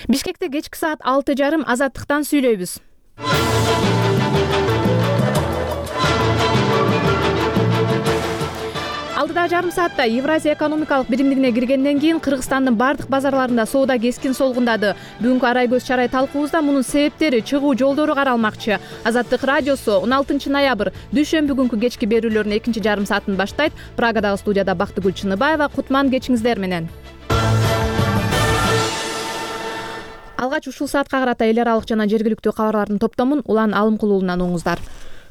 Бишкекте кечки саат 6:30 Азаттыктан сүйлөйбүз. Алдыда жарым саатта Евразия экономикалык биримдигине киргенден кийин Кыргызстандын бардык базарларында соода кескин солгундады. Бүгүнкү арай көз чарай талкуубузда мунун себептери, чыгуу жолдору каралмакчы. Азаттык радиосу 16 ноябрь дүйшөмбү күнкү кечки берүүлөрүнүн экинчи жарым саатын баштайт. Прагадагы студияда Бактыгүл Чыныбаева. Кутман кечиңиздер менен. Алгач ушул саатка карата эл аралык жана жергиликтүү кабарлардын топтомун Улан Алымкулуулунан уңуңуздар.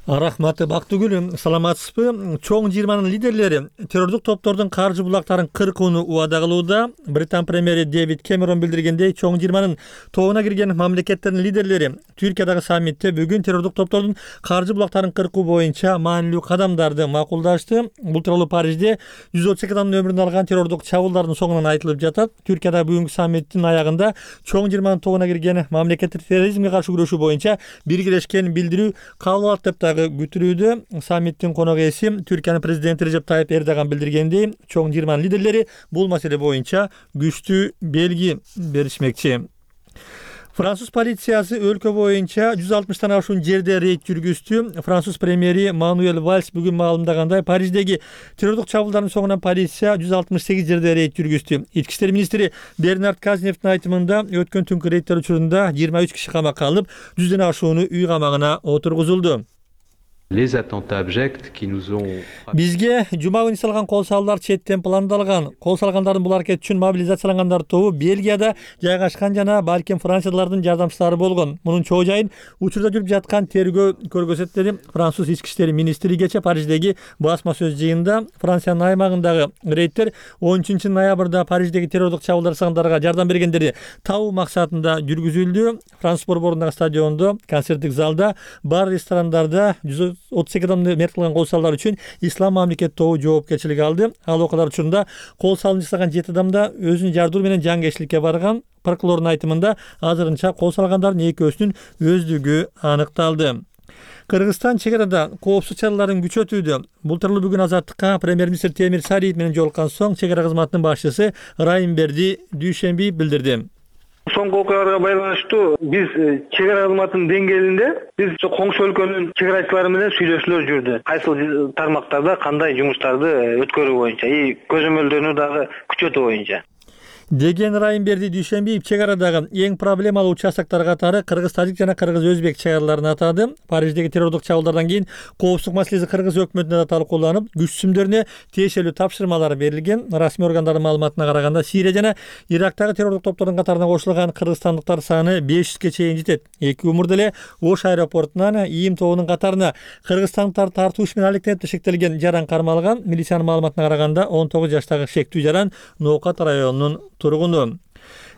Рахматы Бактыгүл, саламатсызбы? Чоң 20-нын лидерлери террордук топтордун каржы булактарын кыркууну убада кылууда. Британ премьери Дэвид Кэмерон билдиргендей, Чоң 20-нын тобуна кирген мамлекеттердин лидерлери Түркиядагы саммитте бүгүн террордук топтордун каржы булактарын кыркуу боюнча маанилүү кадамдарды макулдашты. Бул тууралуу Парижде 132 адамдын өмүрүн алган террордук чабуулдардын соңунан айтылып жатат. Түркиядагы бүгүнкү саммиттин аягында Чоң 20-нын тобуна кирген мамлекеттер терроризмге каршы күрөшүү боюнча биргелешкен билдирүү кабыл алат деп күтүлүүдө. Саммиттин конок ээси Түркиянын президенти Режеп Тайып Эрдоган билдиргендей, Чоң 20 лидерлери бул маселе боюнча күчтүү белги беришмекчи. Француз полициясы өлкө боюнча 160тан ашуун жерде рейд жүргүздү. Француз премьери Мануэль Вальс бүгүн маалымдагандай, Париждеги террордук чабуулдардын соңунан полиция 168 жерде рейд жүргүздү. Ички иштер министри Бернард Казневдин айтымында, өткөн түнкү рейдтер учурунда 23 киши камакка алынып, 100дөн ашууну үй камагына отургузулду. Бизге жума күнү салган кол салуулар четтен пландалган. Кол салгандардын бул аракет үчүн мобилизациялангандар тобу Бельгияда жайгашкан жана балким Франциядалардын жардамчылары болгон. Мунун чоо жайын учурда жүрүп жаткан тергөө көргөзөт деди Француз ички иштер министри кече Париждеги басма сөз жыйынында. Франциянын аймагындагы рейдтер 13 ноябрда Париждеги террордук чабуулдар сагындарга жардам бергендерди табуу максатында жүргүзүлдү. Француз борборундағы стадиондо, концерттик залда, бар ресторандарда 32 адамды мерт кылган кол салуулар үчүн Ислам мамлекет тобу жоопкерчилик алды. Ал окуялар учурунда кол салуун жасаган 7 адам да өзүнүн жардуу менен жангерчиликке барган. Прокурордун айтымында азырынча кол салгандардын экөөсүнүн өздүгү аныкталды. Кыргызстан чек арада коопсуздук чараларын күчөтүүдө. Бул тууралуу бүгүн Азаттыкка премьер-министр Темир Сариев менен жолуккан соң чек ара кызматынын башчысы Райымберди Дүйшөмбиев билдирди. Соңку окуяларга байланыштуу биз чек ара кызматынын деңгээлинде биз коңшу өлкөнүн чек арачылары менен сүйлөшүүлөр жүрдү. Кайсыл тармактарда кандай жумуштарды өткөрүү боюнча, көзөмөлдөнүү дагы күчөтүү боюнча деген Райымберди Дүйшөмбиев чек арадагы эң проблемалуу участоктор катары кыргыз-тажик жана кыргыз-өзбек чек араларын атады. Париждеги террордук чабуулдардан кийин коопсуздук маселеси кыргыз өкмөтүндө да талкууланып, күч түзүмдөрүнө тиешелүү тапшырмалар берилген. Расмий органдардын маалыматына караганда, Сирия жана Ирактагы террордук топтордун катарына кошулган кыргызстандыктар саны 500ге чейин жетет. Эки умурда эле Ош аэропортунан ИИМ тобунун катарына кыргызстандыктар тартуу иш менен алектенип шектелген жаран кармалган. Милициянын маалыматына караганда 19 жаштагы шектүү жаран Ноокат районунун тургуну.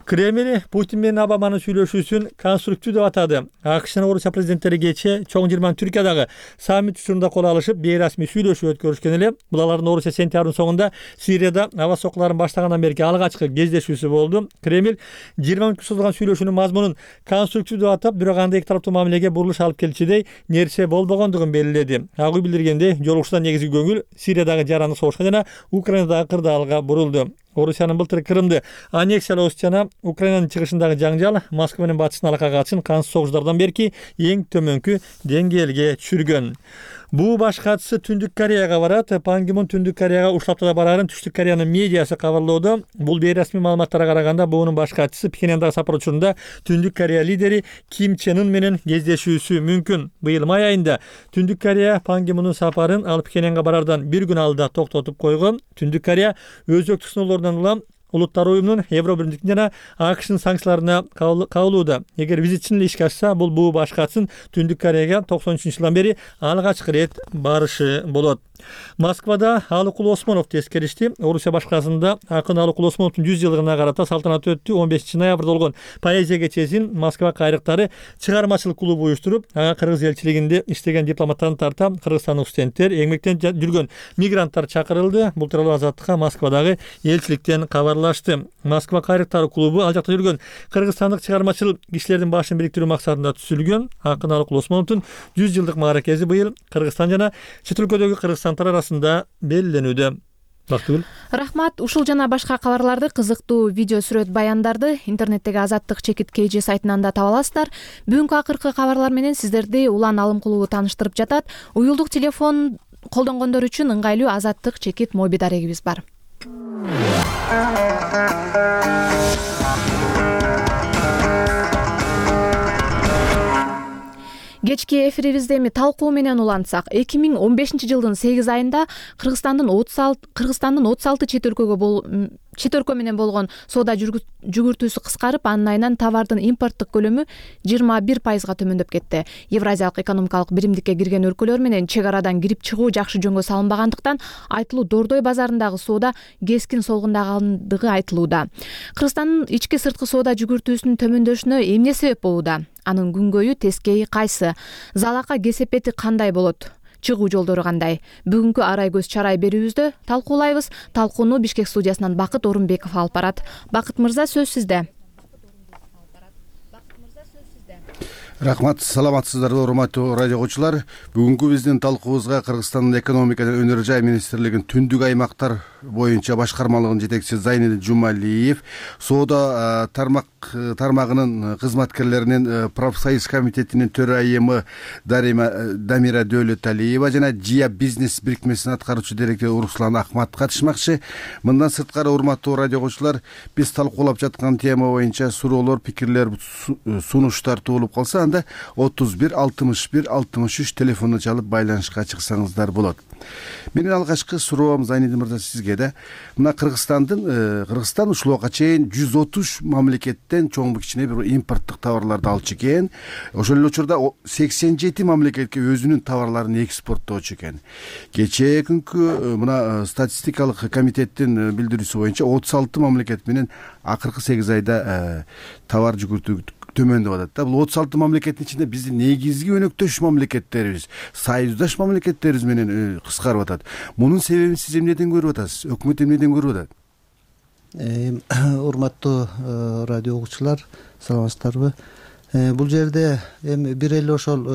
Кремль Путин менен Обаманын сүйлөшүүсүн конструктив деп атады. АКШ жана Орусия президенттери кече Чоң 20 Түркиядагы саммит учурунда кол алышып, бейрасмий сүйлөшүү өткөрүшкөн эле. Булардын Орусия сентябрдын соңунда Сирияда аба соккуларын баштагандан берки алгачкы кездешүүсү болду. Кремль 20 мүнөткө созулган сүйлөшүүнүн мазмунун конструктив деп атап, бирок анда эки тараптуу мамилеге бурулуш алып келчүдөй нерсе болбогондугун белгиледи. Ак үй билдиргендей, жолугушуудан негизги көңүл Сириядагы жарандык согушка жана Украинадагы кырдаалга бурулду. Орусиянын былтыр Крымды аннексиялоосу жана Украинанын чыгышындагы жаңжал Москва менен батыштын алака катышын кансыз согуштардан берки эң төмөнкү деңгээлге түшүргөн. Буу баш катчысы Түндүк Кореяга барат. Пан Ги Мун Түндүк Кореяга уштапта барарын Түштүк Кореянын медиасы кабарлоодо. Бул бейрасмий маалыматтарга караганда, буунун баш катчысы Пхеньяндагы сапар учурунда Түндүк Корея лидери Ким Чен Ын менен кездешүүсү мүмкүн. Быйыл май айында Түндүк Корея Пан Ги Мундун сапарын ал Пхеньянга барардан бир күн алда токтотуп койгон. Түндүк Корея өзөктүк сыноолордон улам Улуттар уюмунун Евробиримдиктин жана АКШнын санкцияларына кабылууда. Эгер визит чын эле ишке ашса, бул буу баш катчысын Түндүк Кореяга 93-жылдан бери алгачкы рет барышы болот. Москвада Алыкул Осмонов тескеришти. Орусия башкарасында акын Алыкул Осмоновдун 100 жылдыгына карата салтанат өттү. 15 ноябрда болгон поэзия кечесин Москва кайрыктары чыгармачылык клубу уюштуруп, ага кыргыз элчилигинде иштеген дипломаттарын тарта кыргызстандык студенттер, эмгектен жүргөн мигранттар чакырылды. Бул тууралуу Азаттыкка Москвадагы элчиликтен кабарлашты. Москва кайрыктары клубу ал жакта жүргөн кыргызстандык чыгармачыл кишилердин башын бириктирүү максатында түзүлгөн. Акын Алыкул Осмоновдун 100 жылдык мааракеси быйыл Кыргызстан жана чет өлкөдөгү кыргызстандар арасында белгиленүүдө. Бактыгүл, рахмат. Ушул жана башка кабарларды, кызыктуу видео сүрөт баяндарды интернеттеги Азаттык чекит KG сайтынан да таба аласыздар. Бүгүнкү акыркы кабарлар менен сиздерди Улан Алымкулуу тааныштырып жатат. Уюлдук телефон колдонгондор үчүн ыңгайлуу Азаттык чекит моби дарегибиз бар. Кечки эфирибизде эми талкуу менен улантсак, 2015-жылдын 8 айында Кыргызстандын 36 чет өлкө менен болгон соода жүгүртүүсү кыскарып, анын айынан товардын импорттук көлөмү 21% төмөндөп кетти. Евразиялык экономикалык биримдикке кирген өлкөлөр менен чек арадан кирип чыгуу жакшы жөнгө салынбагандыктан айтылуу Дордой базарындагы соода кескин солгундагандыгы айтылууда. Кыргызстандын ички сырткы соода жүгүртүүсүнүн төмөндөшүнө эмне себеп болууда? Анын күнгөйү, тескейи кайсы? Залака кесепети кандай болот? Чыгуу жолдору кандай? Бүгүнкү арай көз чарай берүүбүздө талкуулайбыз. Талкууну Бишкек студиясынан Бакыт Орунбеков алып барат. Бакыт мырза, сөз сизде. Рахмат, саламатсыздарбы урматтуу радио угуучулар. Бүгүнкү биздин талкуубузга Кыргызстандын экономика жана өнөр жай министрлигинин түндүк аймактар боюнча башкармалыгынын жетекчиси Зайнидин Жумалиев, соода тармагынын кызматкерлеринин профсоюз комитетинин төрайымы Дамира Дөөлөталиева жана ЖИА бизнес бирикмесинин аткаруучу директору Руслан Ахмат катышмакчы. Мындан сырткары урматтуу радио угуучулар, биз талкуулап жаткан тема боюнча суроолор, пикирлер, сунуштар туулуп калса, анда 31 61 63 телефонду чалып байланышка чыксаңыздар болот. Менин алгачкы суроом Зайнидин мырза сизге да. Мына Кыргызстан ушул убакка чейин 130 мамлекеттен чоң кичине бир импорттук товарларды алчу экен. Ошол эле учурда 87 мамлекетке өзүнүн товарларын экспорттоочу экен. Кечээ күнкү мына статистикалык комитеттин билдирүүсү боюнча 36 мамлекет менен акыркы 8 айда товар жүгүртүү төмөндөп атат да. Бул 36 мамлекеттин ичинде биздин негизги өнөктөш мамлекеттерибиз, союздаш мамлекеттерибиз менен кыскарып атат. Мунун себебин сиз эмнеден көрүп атасыз? Өкмөт эмнеден көрүп атат? Урматтуу радио угуучулар, саламатсыздарбы? Бул жерде эми бир эле ошол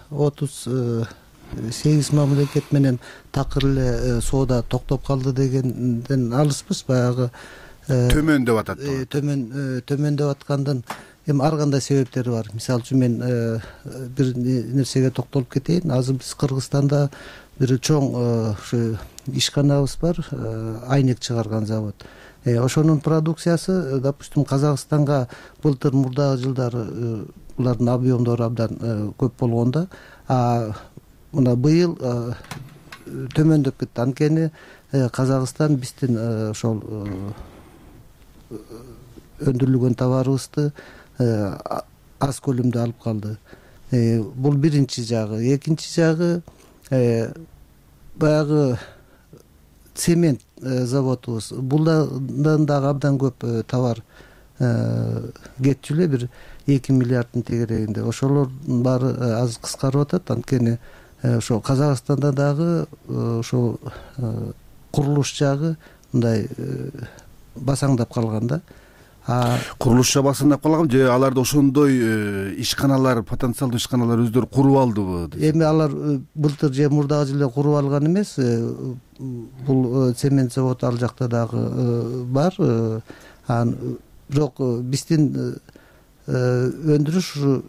38 мамлекет менен такыр эле соода токтоп калды дегенден алыспыз. Баягы төмөндөп атат. Төмөндөп аткандын эми ар кандай себептери бар. Мисалы үчүн мен бир нерсеге токтолуп кетейин. Азыр биз Кыргызстанда бир чоң ушу ишканабыз бар, айнек чыгарган завод. Ошонун продукциясы, допустим, Казакстанга былтыр мурдагы жылдары булардын объемдору абдан көп болгондо, мына быйыл төмөндөп кетти. Анткени Казакстан биздин ошол өндүрүлгөн товарыбызды аз көлөмдө алып калды. Бул биринчи жагы. Экинчи жагы, баягы цемент заводубуз. Булдан дагы абдан көп товар кетчү эле, бир 2 миллиарддын тегерегинде. Ошолордун баары аз кыскарып атат. Анткени ошо Казакстанда дагы ошо курулуш жагы мындай басаңдап калган да. Курулуш басындап калган же аларда ошондой ишканалар, потенциалдуу ишканалар өздөрү куруп алдыбы? Эми алар былтыр же мурдагы жылы куруп алган эмес. Бул цемент заводу ал жакта дагы бар. Бирок биздин өндүрүш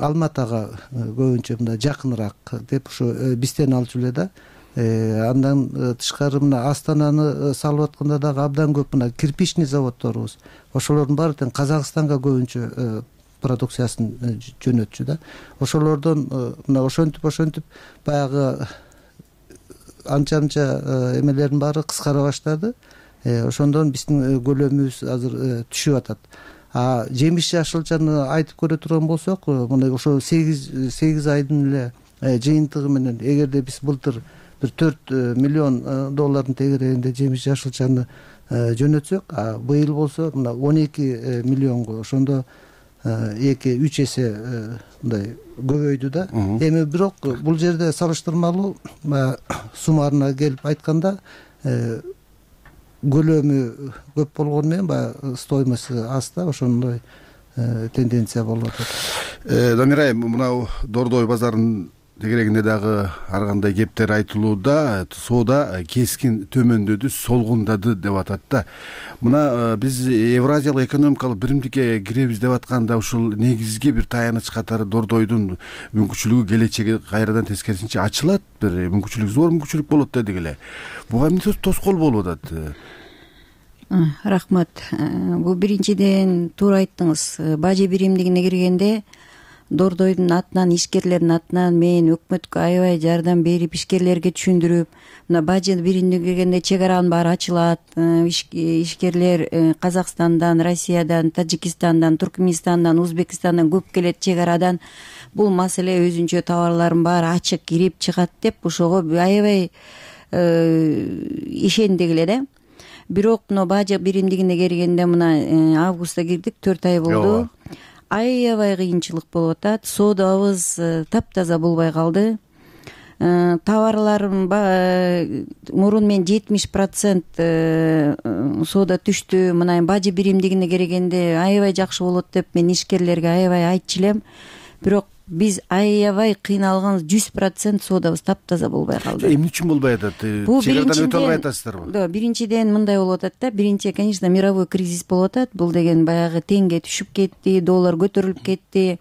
Алматага көбүнчө мындай жакыныраак деп ушу бизден алчу эле да. Андан тышкары мына Астананы салып атканда дагы абдан көп мына кирпичный заводдорубуз. Ошолордун баары тең Казакстанга көбүнчө продукциясын жөнөтчү да. Ошолордон мына ошентип баягы анча эмелердин баары кыскара баштады. Ошондон биздин көлөмүбүз азыр түшүп атат. Жемиш жашылчаны айтып көрө турган болсок, мына ошо 8 айдын эле жыйынтыгы менен эгерде биз былтыр бир 4 миллион доллардын тегерегинде жемиш жашылчаны жөнөтсөк, быйыл болсо мына 12 миллионго, ошондо 2-3 эсе мындай көбөйдү да. Эми бирок бул жерде салыштырмалуу суммарына келип айтканда көлөмү көп болгону менен баягы стоимости аз да, ошондой тенденция болуп атат. Дамир айым, мына Дордой базарынын тегерегинде дагы ар кандай кептер айтылууда, соода кескин төмөндөдү, солгундады деп атат да. Мына биз Евразиялык экономикалык биримдикке киребиз деп атканда ушул негизги бир таяныч катары Дордойдун мүмкүнчүлүгү келечеги кайрадан тескерисинче ачылат, бир мүмкүнчүлүк, зор мүмкүнчүлүк болот дедик эле. Буга эмне тоскоол болуп атат? Рахмат. Бул биринчиден туура айттыңыз. Бажы биримдигине киргенде Дордойдун атынан, ишкерлердин атынан мен өкмөткө аябай жардам берип, ишкерлерге түшүндүрүп, мына бажы биримдигине киргенде чек аранын баары ачылат, ишкерлер Казакстандан, Россиядан, Тажикистандан, Туркменистандан, Узбекистандан көп келет чек арадан. Бул маселе өзүнчө товарлардын баары ачык кирип чыгат деп ошого аябай ишендик эле да. Бирок мына бажы биримдигине киргенде мына августта кирдик, 4 ай болду. Аябай кыйынчылык болуп атат. Соодабыз таптаза болбой калды. Товарларым мурун мен 70% соода түштү. Мына бажы биримдигине киргенде аябай жакшы болот деп мен ишкерлерге аябай айтчу элем. Бирок биз аябай кыйналган 100% соодабыз таптаза болбой калды. Эмне үчүн болбой атат? Чек арадан өтө албай атасыздарбы? Биринчиден мындай болуп атат да. Биринчи, конечно, мировой кризис болуп атат. Бул деген баягы теңге түшүп кетти, доллар көтөрүлүп кетти.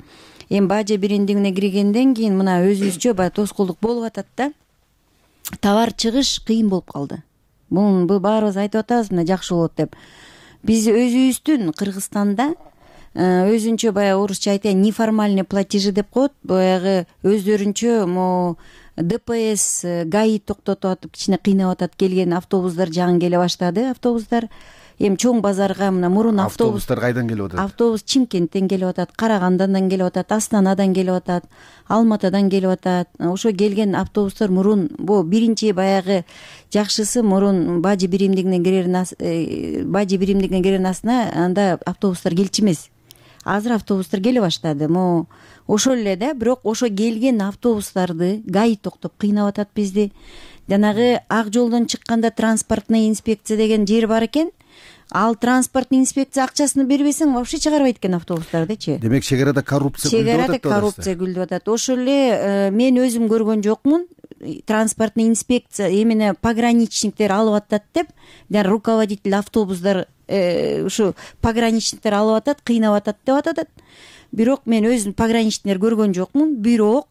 Эми бажы биримдигине киргенден кийин мына өзүбүзчө баягы тоскоолдук болуп атат да. Товар чыгыш кыйын болуп калды. Бул баарыбыз айтып атабыз, мына жакшы болот деп. Биз өзүбүздүн Кыргызстанда өзүнчө баягы орусча айтайын, неформальный платежи деп коет. Баягы өздөрүнчө могу ДПС, ГАИ токтотуп атып, кичине кыйнап атат, келген автобустар жагын келе баштады. Автобустар эми чоң базарга мына мурун автобустар кайдан келип атат? Автобус Чимкенттен келип атат, Карагандан келип атат, Астанадан келип атат, Алматадан келип атат. Ошо келген автобустар мурун бул биринчи баягы жакшысы мурун бажы биримдигине кирерин астына анда автобустар келчү эмес. Азыр автобустар келе баштады. Ошол эле да, бирок ошо келген автобустарды ГАИ токтоп кыйнап атат бизди. Жанагы ак жолдон чыкканда транспортный инспекция деген жер бар экен. Ал транспортный инспекция акчасын бербесең вообще чыгарбайт экен автобустардычы. Демек чек арада коррупция гүлдөп атат. Чек арада коррупция гүлдөп атат. Ошол эле мен өзүм көргөн жокмун. Транспортный инспекция именно пограничниктер алып атат деп, руководитель автобустар ушу пограничниктер алып атат, кыйнап атат деп атат. Бирок мен өзүм пограничниктер көргөн жокмун. Бирок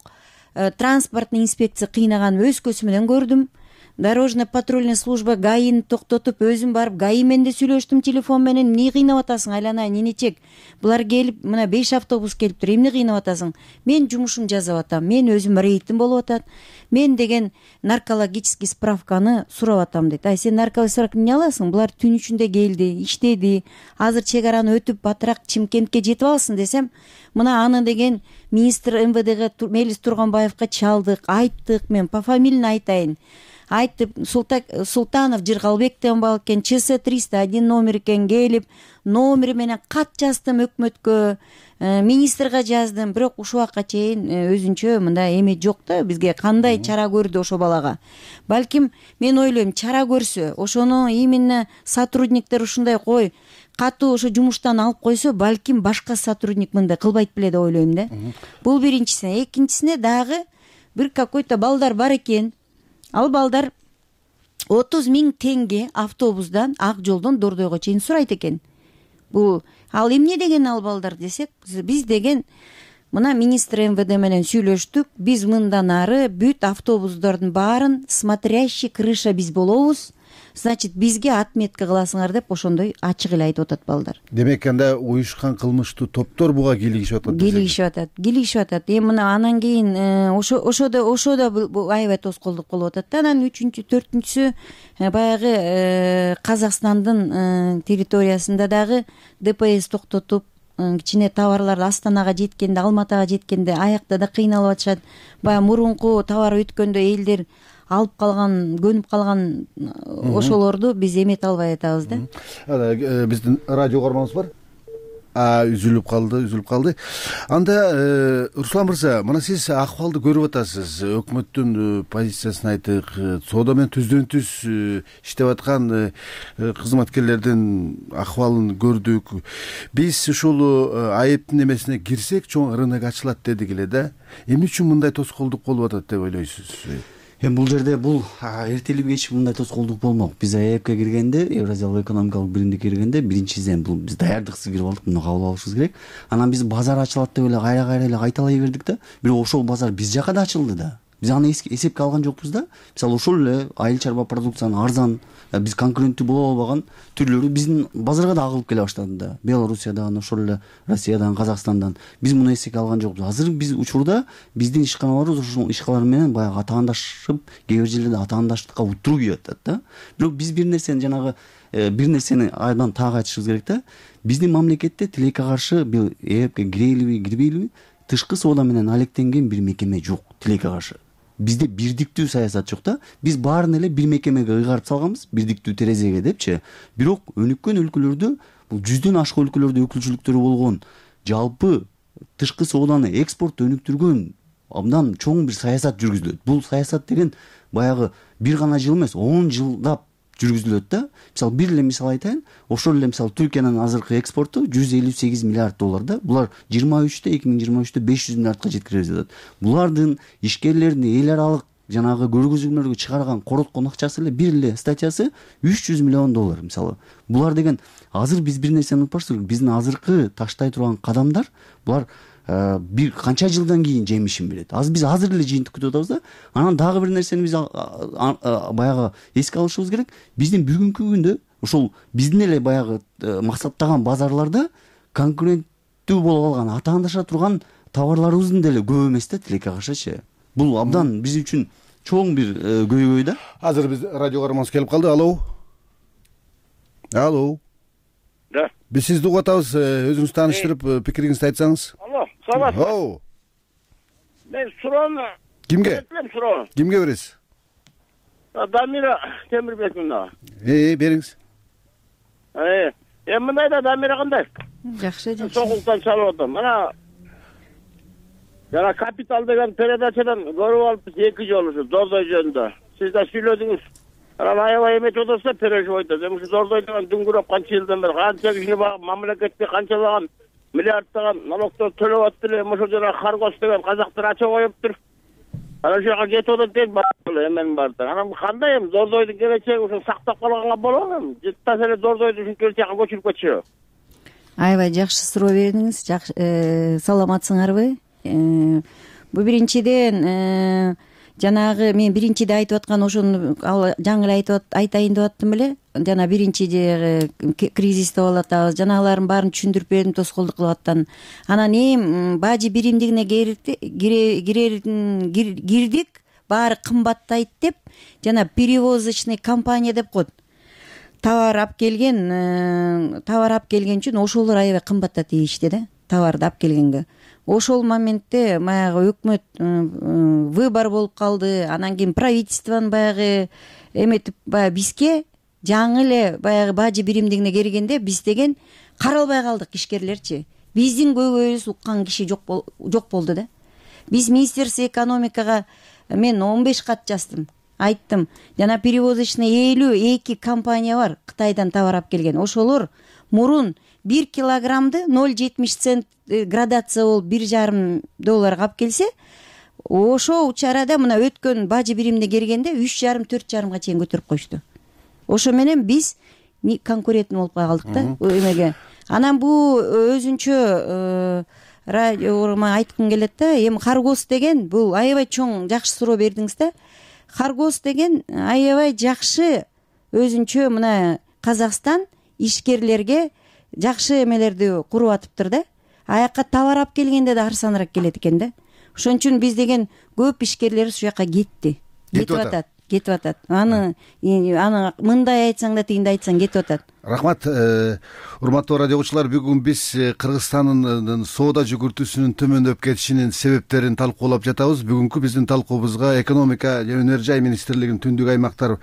транспортный инспекция кыйнаганын өз көзүм менен көрдүм. Дорожно патрульный служба ГАИни токтотуп, өзүм барып ГАИ менен да сүйлөштүм телефон менен. Эмне кыйнап атасың, айланайын, энечек? Булар келип, мына 5 автобус келиптир. Эмне кыйнап атасың? Мен жумушум жасап атам. Мен өзүм рейтим болуп атат. Мен деген наркологический справканы сурап атам дейт. Ай, сен наркологический справканы эмне аласың? Булар түн ичинде келди, иштеди. Азыр чек араны өтүп батыраак Чимкентке жетип алсын десем, мына аны деген министр МВДге Мелис Турганбаевга чалдык, айттык. Мен по фамилийно айтайын. Айтып, Султанов Жыргалбектен бал экен, ЧС 301 номер экен, келип номери менен кат жаздым өкмөткө, министрге жаздым. Бирок ушул убакка чейин өзүнчө мындай эме жок да, бизге кандай чара көрдү ошо балага. Балким мен ойлойм, чара көрсө, ошону именно сотрудниктер ушундай кой катуу ошо жумуштан алып койсо, балким башка сотрудник мындай кылбайт беле деп ойлойм да. Бул биринчисине. Экинчисине дагы бир какой-то балдар бар экен. Ал балдар 30 000 теңге автобустан ак жолдон Дордойго чейин сурайт экен. Бул ал эмне деген ал балдар десек, биз деген мына министр МВД менен сүйлөштүк. Биз мындан ары бүт автобустардын баарын смотрящий крыша биз болобуз. Значит, бизге отметка кыласыңар деп ошондой ачык эле айтып атат балдар. Демек анда уюшкан кылмыштуу топтор буга кийлигишип атат. Кийлигишип атат. Эми мына анан кийин ошодо аябай тоскоолдук болуп атат да. Анан 4-үнчүсү баягы Казакстандын территориясында дагы ДПС токтотуп, кичине товарлар Астанага жеткенде, Алматага жеткенде аякта да кыйналып атышат. Баягы мурунку товар өткөндө элдер алып калган, көнүп калган ошолорду биз эмете албай атабыз да. Биздин радио угарманыбыз бар. Үзүлүп калды. Анда Руслан мырза, мына сиз акыбалды көрүп атасыз. Өкмөттүн позициясын айттык, соода менен түздөн түз иштеп аткан кызматкерлердин акыбалын көрдүк. Биз ушул АЭПтин эмесине кирсек чоң рынок ачылат дедик эле да. Эмне үчүн мындай тоскоолдук болуп атат деп ойлойсуз? Эми бул жерде бул эртелип кеч мындай тоскоолдук болмок. Биз АЭПке киргенде, Евразиялык экономикалык биримдикке киргенде биринчиден бул биз даярдыксыз кирип алдык, муну кабыл алышыбыз керек. Анан биз базар ачылат деп эле кайра эле кайталай бердик да. Бирок ошол базар биз жака да ачылды да. Биз аны эсепке алган жокпуз да. Мисалы ошол эле айыл чарба продукциянын арзан, биз конкуренттүү боло албаган түрлөрү биздин базарга да агылып келе баштады да. Белоруссиядан, ошол эле Россиядан, Казакстандан. Биз муну эсепке алган жокпуз. Азыр биз учурда биздин ишканаларыбыз ошол ишканалар менен баягы атаандашып, кээ бир жерлерде атаандаштыкка утуруу кийип атат да. Бирок биз бир нерсени айдан так айтышыбыз керек да. Биздин мамлекетте тилекке каршы бул ЭЭПке кирелиби, кирбейлиби, тышкы соода менен алектенген бир мекеме жок тилекке каршы. Бизде бирдиктүү саясат жок да. Биз баарын эле бир мекемеге ыйгарып салганбыз, бирдиктүү терезеге депчи. Бирок өнүккөн өлкөлөрдө, бул 100дөн ашык өлкөлөрдө өкүлчүлүктөрү болгон, жалпы тышкы сооданы экспорт өнүктүргөн абдан чоң бир саясат жүргүзүлөт. Бул саясат деген баягы бир гана жыл эмес, 10 жылдап жүргүзүлөт да. Мисалы бир эле мисал айтайын. Ошол эле мисалы Түркиянын азыркы экспорту 158 миллиард доллар да. Булар 2023-те 500 миллиардка жеткиребиз деп атат. Булардын ишкерлердин эл аралык жанагы көргөзмөлөргө чыгарган короткон акчасы эле бир эле статьясы 300 миллион доллар мисалы. Булар деген азыр биз бир нерсени унутпашыбыз керек. Биздин азыркы таштай турган кадамдар булар бир канча жылдан кийин жемишин берет. Биз азыр эле жыйынтык күтүп атабыз да. Анан дагы бир нерсени биз баягы эске алышыбыз керек. Биздин бүгүнкү күндө ошол биздин эле баягы максаттаган базарларда конкуренттүү болуп алган, атаандаша турган товарларыбыздын деле көп эмес да тилекке каршычы. Бул абдан биз үчүн чоң бир көйгөй да. Азыр биз радио каарманыбыз келип калды. Алло. Да. Биз сизди угуп атабыз. Өзүңүздү тааныштырып, пикириңизди айтсаңыз. Алло, саламатсызбы? Мен суроону кимге бересиз? Дамира Темирбековна. Бериңиз. Мындай да Дамира кандай? Жакшы. Сокултан чалып атам. Мына жана капитал деген передачадан көрүп алып 2 жолу ушу Дордой жөнүндө. Сиз да сүйлөдүңүз. Анан аябай эметип отурса переживать этем. Ушу Дордой деген дүңгүрөп канча жылдан бери канча кишини багып, мамлекетке канчалаган миллиардтаган налогдор төлөп атты эле. Ошо жана Харгос деген казактар ача коюптур. Анан ошол жака кетип атат дейт эмен барды. Анан кандай эми Дордойдун келечеги ушу сактап калганга болобу эми? Жыттаса эле Дордойду ушинтип жака көчүрүп кетчү. Аябай жакшы суроо бердиңиз. Саламатсыңарбы? Бул биринчиден жанагы мен биринчиде айтып аткан ошону жаңы эле айтайын деп аттым эле. Жана биринчи кризис деп атабыз. Жанагылардын баарын түшүндүрүп бердим, тоскоолдук кылып аттан. Анан эми бажы биримдигине кирдик, баары кымбаттайт деп, жана перевозочный компания деп коет. Товар алып келген үчүн ошолор аябай кымбатта тийишти да, товарды алып келгенге. Ошол моментте баягы өкмөт выбор болуп калды. Анан кийин правительствонун баягы эметип баягы бизге жаңы эле баягы бажы биримдигине киргенде биз деген каралбай калдык ишкерлерчи. Биздин көйгөйүбүз уккан киши жок болду да. Биз Министерство экономикага мен 15 кат жаздым. Айттым, жана перевозочный 52 компания бар, Кытайдан товар алып келген. Ошолор мурун 1 килограммды 0,70 цент градация болуп $1,5 алып келсе, ошо чарада мына өткөн бажы биримине киргенде 3,5-4,5 чейин көтөрүп коюшту. Ошо менен биз конкурентный болуп калдык да эмеге. Анан бул өзүнчө радиома айткым келет да. Эми Харгос деген бул аябай чоң жакшы суроо бердиңиз да. Харгос деген аябай жакшы өзүнчө мына Казакстан ишкерлерге жакшы эмелерди куруп атыптыр да. Аякка товар алып келгенде да арзаныраак келет экен да. Ошон үчүн биз деген көп ишкерлер ушул жака кетип атат. Аны мындай айтсаң да тигинди айтсаң кетип атат. Рахмат. Урматтуу радио угуучулар, бүгүн биз Кыргызстандын соода жүгүртүүсүнүн төмөндөп кетишинин себептерин талкуулап жатабыз. Бүгүнкү биздин талкуубузга экономика жана өнөр жай министрлигинин түндүк аймактар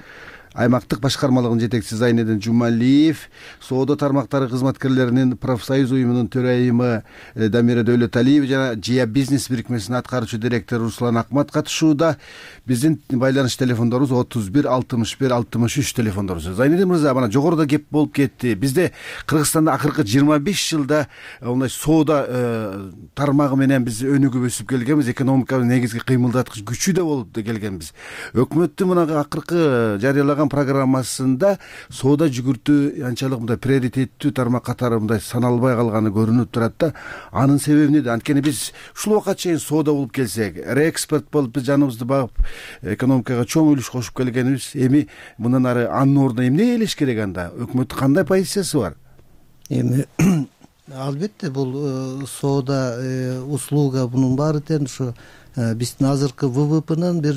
аймактык башкармалыгынын жетекчиси Зайнедин Жумалиев, соода тармактары кызматкерлеринин профсоюз уюмунун төрайымы Дамира Дөөлөталиева жана ЖИА бизнес бирикмесинин аткаруучу директору Руслан Акмат катышууда. Биздин байланыш телефондорубуз 31 61 63 телефондорубуз. Зайнедин мырза, мына жогоруда кеп болуп кетти. Бизде Кыргызстанда акыркы 25 жылда мындай соода тармагы менен биз өнүгүп өсүп келгенбиз, экономиканын негизги кыймылдаткыч күчү да болуп келгенбиз. Өкмөттүн мына акыркы жарыялаган программасында соода жүгүртүү анчалык мындай приоритеттүү тармак катары мындай саналбай калганы көрүнүп турат да. Анын себеби эмнеде? Анткени биз ушул убакка чейин соода болуп келсек, реэкспорт болуп биз жаныбызды багып экономикага чоң үлүш кошуп келгенибиз. Эми мындан ары анын ордуна эмне элеш керек анда? Өкмөттүн кандай позициясы бар? Эми албетте бул соода услуга бунун баары тең ушу биздин азыркы ВВПнын бир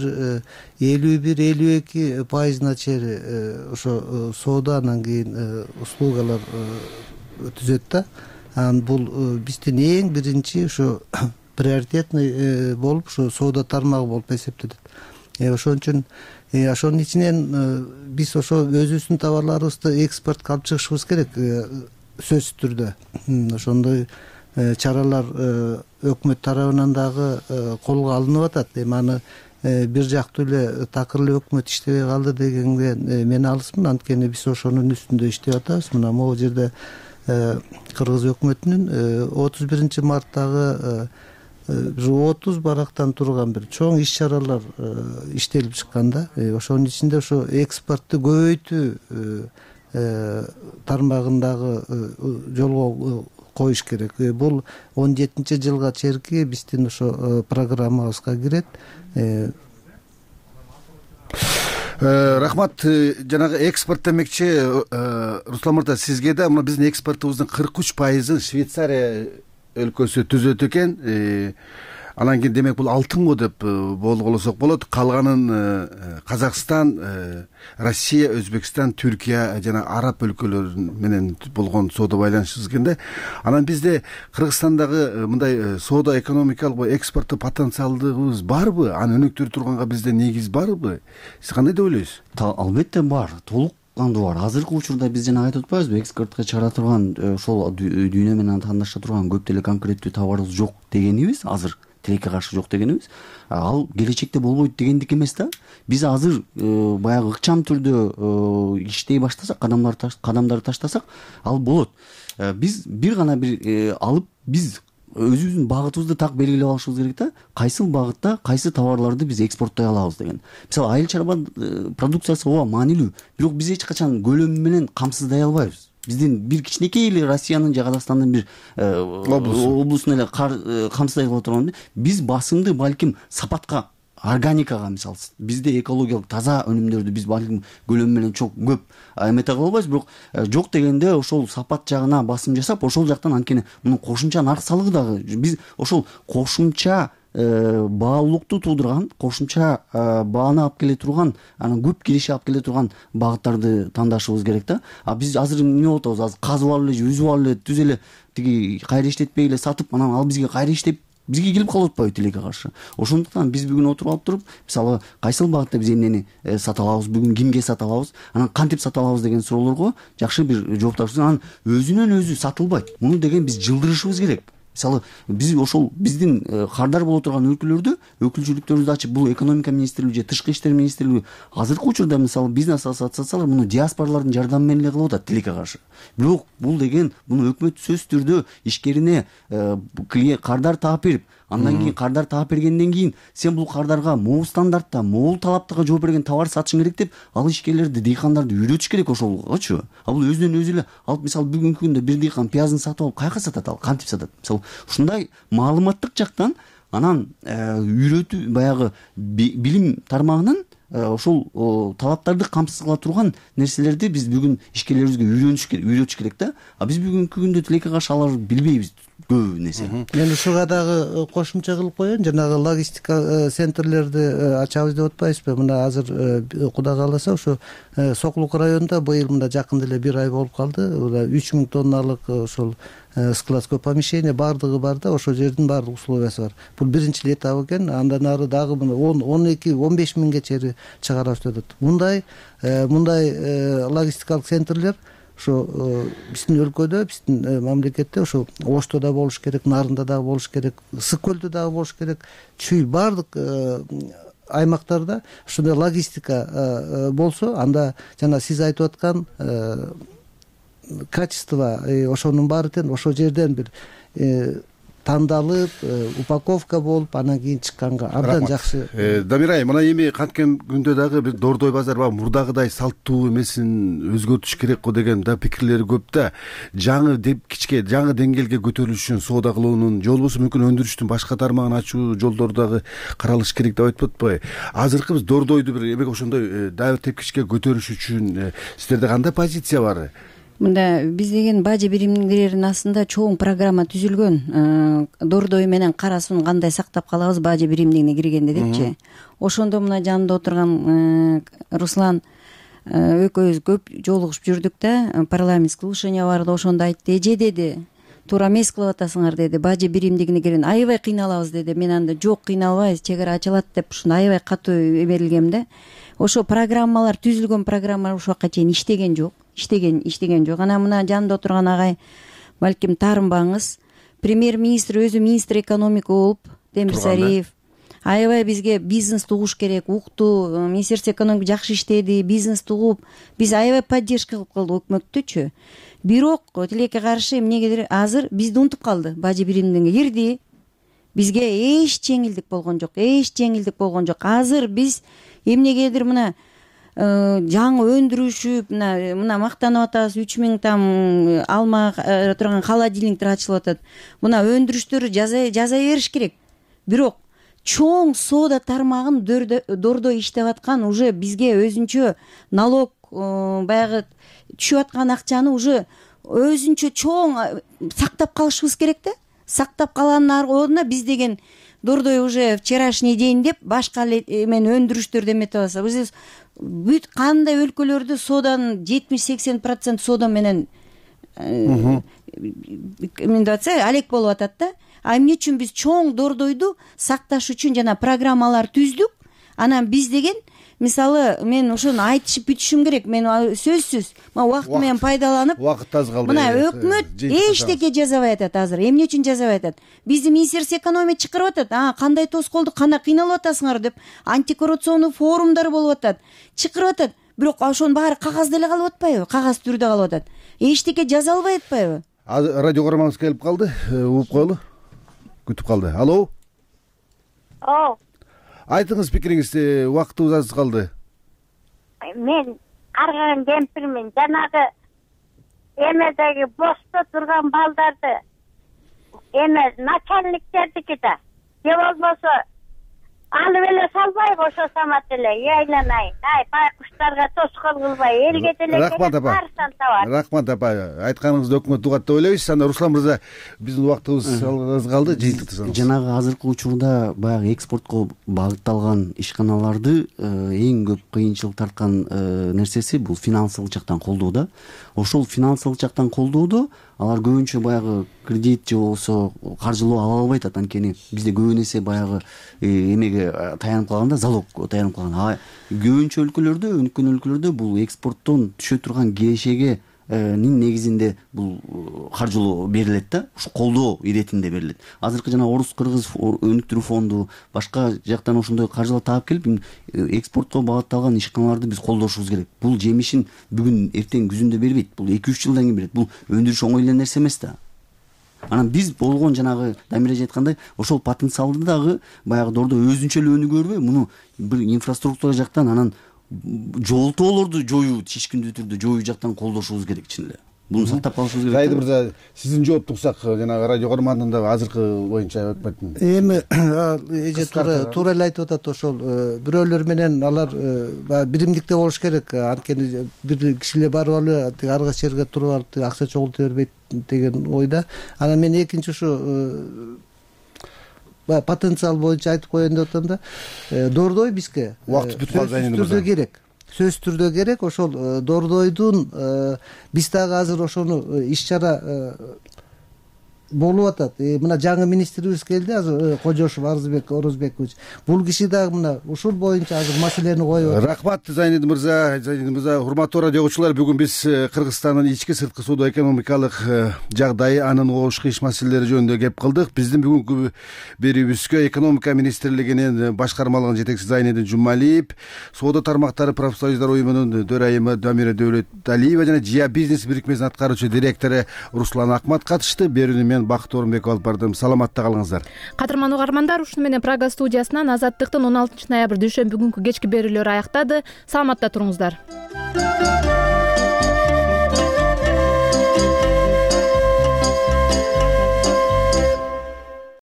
51-52% чейин ошо соода, анан кийин услугалар түзөт да. Анан бул биздин эң биринчи ушу приоритетный болуп ушу соода тармагы болуп эсептелет. Ошон үчүн ошонун ичинен биз ошо өзүбүздүн товарларыбызды экспортко алып чыгышыбыз керек, сөзсүз түрдө. Ошондой чаралар өкмөт тарабынан дагы колго алынып атат. Эми аны бир жактуу эле такыр эле өкмөт иштебей калды дегенге мен алысмын, анткени биз ошонун үстүндө иштеп атабыз. Мына могу жерде кыргыз өкмөтүнүн 31 марттагы 30 барактан турган бир чоң иш чаралар иштелип чыккан да. Ошонун ичинде ошо экспортту көбөйтүү тармагындагы жолго коюш керек. Бул 17-жылга чейинки биздин ошо программабызга кирет. Рахмат. Жанагы экспорт демекчи Руслан мырза, сизге да мына биздин экспортубуздун 43%-ын Швейцария өлкөсү түзөт экен. Анан кийин демек бул алтын го деп болголосок болот. Калганын Казакстан, Россия, Өзбекстан, Түркия жана араб өлкөлөрү менен болгон соода байланышыбыз экен да. Анан бизде Кыргызстандагы мындай соода экономикалык экспортту потенциалдыгыбыз барбы? Аны өнүктүрө турганга бизде негиз барбы? Сиз кандай деп ойлойсуз? Албетте бар, толук бар. Азыркы учурда биз жана айтып атпайбызбы, экспортко чыгара турган, ошол дүйнө менен тандашта турган көп деле конкреттүү товарыбыз жок дегенибиз, азыр тилекке каршы жок дегенибиз. Ал келечекте болбойт дегендик эмес да. Биз азыр баягы ыкчам түрдө иштей баштасак, кадамдарды таштасак, ал болот. Биз бир гана алып, биз өзүбүздүн багытыбызды так белгилеп алышыбыз керек да. Кайсыл багытта кайсы товарларды биз экспорттой алабыз деген. Мисалы, айыл чарба продукциясы ооба маанилүү, бирок биз эч качан көлөмү менен камсыздай албайбыз. Биздин бир кичинекей эле Россиянын же Казакстандын бир облусун эле камсыздай кыла турган. Биз басымды балким сапатка, органикага, мисалы, бизде экологиялык таза өнүмдөрдү биз балким көлөмү менен көп эмете кыла албайбыз, бирок жок дегенде ошол сапат жагына басым жасап, ошол жактан анткени мунун кошумча нарк салыгы дагы биз ошол кошумча баалуулукту туудурган, кошумча бааны алып келе турган, анан көп киреше алып келе турган багыттарды тандашыбыз керек да. Биз азыр эмне болуп атабыз? Азыр казып алып эле, үзүп алып эле, түз эле тиги кайра иштетпей эле сатып, анан ал бизге кайра иштеп бизге келип калып атпайбы тилекке каршы. Ошондуктан биз бүгүн отуруп алып туруп, мисалы, кайсыл багытта биз эмнени сата алабыз, бүгүн кимге сата алабыз, анан кантип сата алабыз деген суроолорго жакшы бир жооп табышыбыз. Анан өзүнөн өзү сатылбайт. Муну деген биз жылдырышыбыз керек. Мисалы, биз ошол биздин кардар боло турган өлкөлөрдө өкүлчүлүктөрүбүздү ачып, бул экономика министрлиги же тышкы иштер министрлиги азыркы учурда, мисалы, бизнес ассоциациялар муну диаспоралардын жардамы менен эле кылып атат тилекке каршы. Бирок бул деген муну өкмөт сөзсүз түрдө ишкерине кардар таап берип, андан кийин кардар таап бергенден кийин сен бул кардарга могул стандартта, могул талаптарга жооп берген товар сатышың керек деп, ал ишкерлерди, дыйкандарды үйрөтүш керек ошолгочу. Бул өзүнөн өзү эле алып, мисалы, бүгүнкү күндө бир дыйкан пиязын сатып алып каяка сатат, ал кантип сатат? Мисалы, ушундай маалыматтык жактан анан үйрөтүү, баягы билим тармагынан ошол талаптарды камсыз кыла турган нерселерди биз бүгүн ишкерлерибизге үйрөтүш керек да. Биз бүгүнкү күндө тилекке каршы алар билбейбиз. көп нерсе. Мен ушуга дагы кошумча кылып коеюн. Жанагы логистика центрлерди ачабыз деп атпайбызбы? Мына азыр Кудай кааласа ошо Сокулук районунда быйыл мына жакында эле 1 ай болуп калды. 3000 тонналык ошол складское помещение баардыгы бар да, ошол жердин баардык условиясы бар. Бул биринчи этап экен. Андан ары дагы мына 12-15 миңге чейин чыгарып атат. Мындай логистикалык центрлер ошо биздин өлкөдө, биздин мамлекетте ошо Ошто да болуш керек, Нарында да болуш керек, Ысык көлдө да болуш керек. Чүй баардык аймактарда ушундай логистика болсо, анда жана сиз айтып аткан качество ошонун баары тең ошол жерден бир тандалып, упаковка болуп, анан кийин чыкканга абдан жакшы. Дамир айым, мына эми канткен күндө дагы бир Дордой базар баягы мурдагыдай салттуу эмесин өзгөртүш керек го деген да пикирлер көп да. Жаңы кичке жаңы деңгээлге көтөрүлүш үчүн соода кылуунун же болбосо мүмкүн өндүрүштүн башка тармагын ачуу жолдору дагы каралыш керек деп айтып атпайбы? Азыркы биз Дордойду бир эмек ошондой дагы тепкичке көтөрүш үчүн сиздерде кандай позиция бар? Мында биз деген бажы биримдеринин астында чоң программа түзүлгөн. Дордой менен Кара суун кандай сактап калабыз бажы биримдигине киргенде депчи. Ошондо мына жанымда отурган Руслан экөөбүз көп жолугушуп жүрдүк да, парламенттик слушание барды, ошондо айтты, эже деди, туура эмес кылып атасыңар деди, бажы биримдигине кирген аябай кыйналабыз деди. Мен анда жок, кыйналбайбыз, чек ара ачылат деп ушуну аябай катуу эмерилгем да. Ошо программалар түзүлгөн программалар ушул вакытка чейин иштеген жок. Анан мына жанында отурган агай балким таарынбаңыз, премьер-министр өзү министр экономика болуп, Темирсариев аябай бизге бизнести угуш керек, укту, министерство экономика жакшы иштеди, бизнести угуп, биз аябай поддержка кылып калдык өкмөттүчү. Бирок тилекке каршы эмнегедир азыр бизди унутуп калды. Бажы биримдигине кирди, бизге эч жеңилдик болгон жок. Азыр биз эмнегедир мына жаңы өндүрүшүп, мына мактанып атабыз, 3000 там алма турган холодильниктер ачылып атат. Мына өндүрүштөрү жаза бериш керек. Бирок чоң соода тармагын Дордой иштеп аткан уже бизге өзүнчө налог баягы түшүп аткан акчаны уже өзүнчө чоң сактап калышыбыз керек да. Сактап калганын ордуна биз деген Дордой уже вчерашний день деп башка эмен өндүрүштөрдү эметип алса, биз бүт кандай өлкөлөрдө сооданын 70-80% соода менен эмне деп атса алек болуп атат да. А эмне үчүн биз чоң Дордойду сакташ үчүн жана программалар түздүк. Анан биз деген мисалы мен ошону айтышып бүтүшүм керек. Мен сөзсүз мына убакыт менен пайдаланып, убакыт аз калды. Мына өкмөт эчтеке жазабай атат азыр. Эмне үчүн жазабай атат? Бизди министерство экономия чакырып атат. Кандай тоскоолдук, кандай кыйналып атасыңар деп антикоррупционный форумдар болуп атат. Чакырып атат. Бирок ошонун баары кагазда эле калып атпайбы? Кагаз түрдө калып атат. Эчтеке жаза албай атпайбы? Радио көрөрманыбыз келип калды. Угуп коелу. Күтүп калды. Алло. Айтыңыз пикириңизди, убактыбыз аз калды. Мен карган кемпирмин. Жанагы эмедеги босто турган балдарды начальниктердики да же болбосо алып эле салбайбы ошо самат эле айланайын. Байкуштарга тоскоол кылбай, элге деле баарысын табат. Рахмат апа, айтканыңызды өкмөт угат деп ойлойбуз. Анда Руслан мырза, биздин убактыбыз аз калды, жыйынтыктасаңыз. Жанагы азыркы учурда баягы экспортко багытталган ишканаларды эң көп кыйынчылык тарткан нерсеси бул финансылык жактан колдоо да. Ошол финансылык жактан колдоодо алар көбүнчө баягы кредит же болбосо каржылоо ала албай атат. Анткени бизде көбүн эсе баягы эмеге таянып калганда, залогко таянып калган. Көбүнчө өлкөлөрдө, өнүккөн өлкөлөрдө бул экспорттон түшө турган кирешеге негизинде бул каржылоо берилет да, ушу колдоо иретинде берилет. Азыркы жана орус кыргыз өнүктүрүү фонду башка жактан ошондой каржылар таап келип экспортко багытталган ишканаларды биз колдошубуз керек. Бул жемишин бүгүн эртең күзүндө бербейт. Бул 2-3 жылдан кийин берет. Бул өндүрүш оңой эле нерсе эмес да. Анан биз болгон жанагы Дамир эже айткандай ошол потенциалды дагы баягы Дордой өзүнчө эле өнүгөрбөй, муну бир инфраструктура жактан анан жолтоолорду жоюу, чечкиндүү түрдө жоюу жактан колдошубуз керек чын эле. буну сактап калышыбыз керек. Зайди мырза, сиздин жоопту уктсак, жанагы радио көрөрмандын дагы азыркы боюнча өкмөттүн эми эже туура эле айтып атат. Ошол бирөөлөр менен алар биримдикте болуш керек. Анткени бир кишилер барып алып тиги аргы жерге туруп алып акча чогулта бербейт деген ойда. Анан мен экинчи ушу потенциал боюнча айтып коеюн деп атам да. Дордой бизге убакыт бүтүп калды, керек. Сөзсүз түрдө керек. Ошол Дордойдун биз дагы азыр ошону иш чара болуп атат. Мына жаңы министрибиз келди азыр, Кожошов Арызбек Орозбекович. Бул киши дагы мына ушул боюнча азыр маселени коюп атат. Рахмат Зайнидин мырза. Урматтуу радио окуучулар, бүгүн биз Кыргызстандын ички сырткы соода экономикалык жагдайы, анын огушку иш маселелери жөнүндө кеп кылдык. Биздин бүгүнкү берүүбүзгө экономика министрлигинин башкармалыгынын жетекчиси Зайнидин Жумалиев, соода тармактары профсоюздар уюмунун төрайымы Дамира Дөөлөталиева жана Жия бизнес бирикмесинин аткаруучу директору Руслан Акмат катышты. Берүүнү мен Бакыт Орунбеков алып бардым. Саламатта калыңыздар. Кадырман угармандар, ушуну менен Прага студиясынан Азаттыктын 16 ноябрь дүйшөмбү күнкү кечки берүүлөрү аяктады. Саламатта туруңуздар.